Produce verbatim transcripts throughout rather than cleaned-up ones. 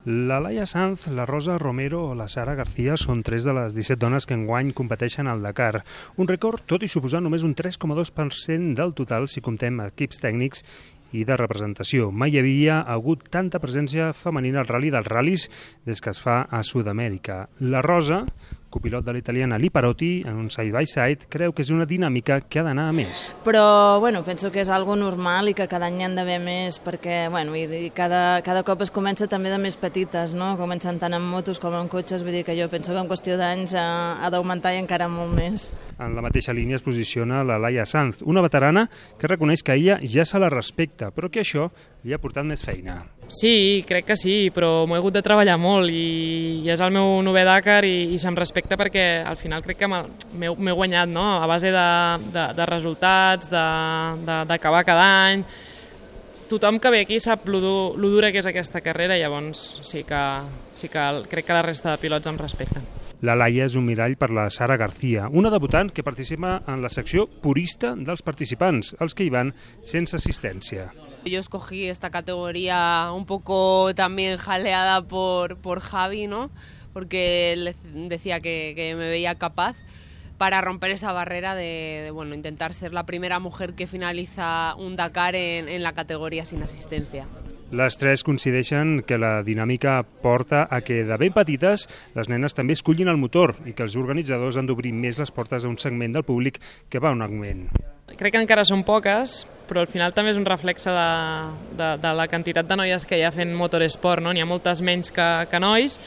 La Laia Sanz, la Rosa Romero o la Sara García són tres de les disset dones que enguany competeixen al Dakar. Un rècord, tot i suposar només un tres coma dos per cent del total si comptem equips tècnics i de representació. Mai hi havia hagut tanta presència femenina al ral·li dels ral·lis des que es fa a Sud-amèrica. La Rosa, copilot de l'italiana Liparotti, en un side-by-side, creu que és una dinàmica que ha d'anar a més. Però bueno, penso que és algo normal i que cada any hi ha d'haver més, perquè bueno, i cada, cada cop es comença també de més petites, no? Comencen tant en motos com en cotxes, vull dir que jo penso que en qüestió d'anys ha, ha d'augmentar i encara molt més. En la mateixa línia es posiciona la Laia Sanz, una veterana que reconeix que ella ja se la respecta, però que això li ha portat més feina. Sí, crec que sí, però m'ho he hagut de treballar molt i, i és el meu novè Dakar i, i se'm respecta perquè al final crec que m'he guanyat, no? A base de, de, de resultats, d'acabar cada any. Tothom que ve aquí sap lo, dur, lo dura que és aquesta carrera, llavors sí que, sí que crec que la resta de pilots em respecten. La Laia és un mirall per la Sara García, una debutant que participa en la secció purista dels participants, els que hi van sense assistència. Yo escogí esta categoría un poco también jaleada por, por Javi, ¿no? Porque él decía que, que me veía capaz para romper esa barrera de, de bueno, intentar ser la primera mujer que finaliza un Dakar en, en la categoría sin asistencia. Les tres coincideixen que la dinàmica porta a que de ben petites les nenes també escollin el motor i que els organitzadors han d'obrir més les portes a un segment del públic que va en augment. Crec que encara són poques, però al final també és un reflexe de, de, de la quantitat de noies que hi ha fent motoresport, no? N'hi ha moltes menys que, que nois,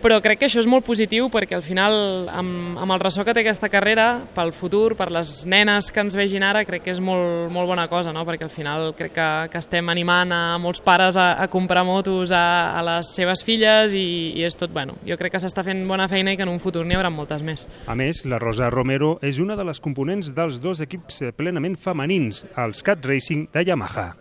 però crec que això és molt positiu perquè al final, amb, amb el ressò que té aquesta carrera, pel futur, per les nenes que ens vegin ara, crec que és molt, molt bona cosa, no? Perquè al final crec que, que estem animant a molts pares a, a comprar motos a, a les seves filles i, i és tot, bueno, jo crec que s'està fent bona feina i que en un futur n'hi haurà moltes més. A més, la Rosa Romero és una de les components dels dos equips plenament femenins, els Cat Racing de Yamaha.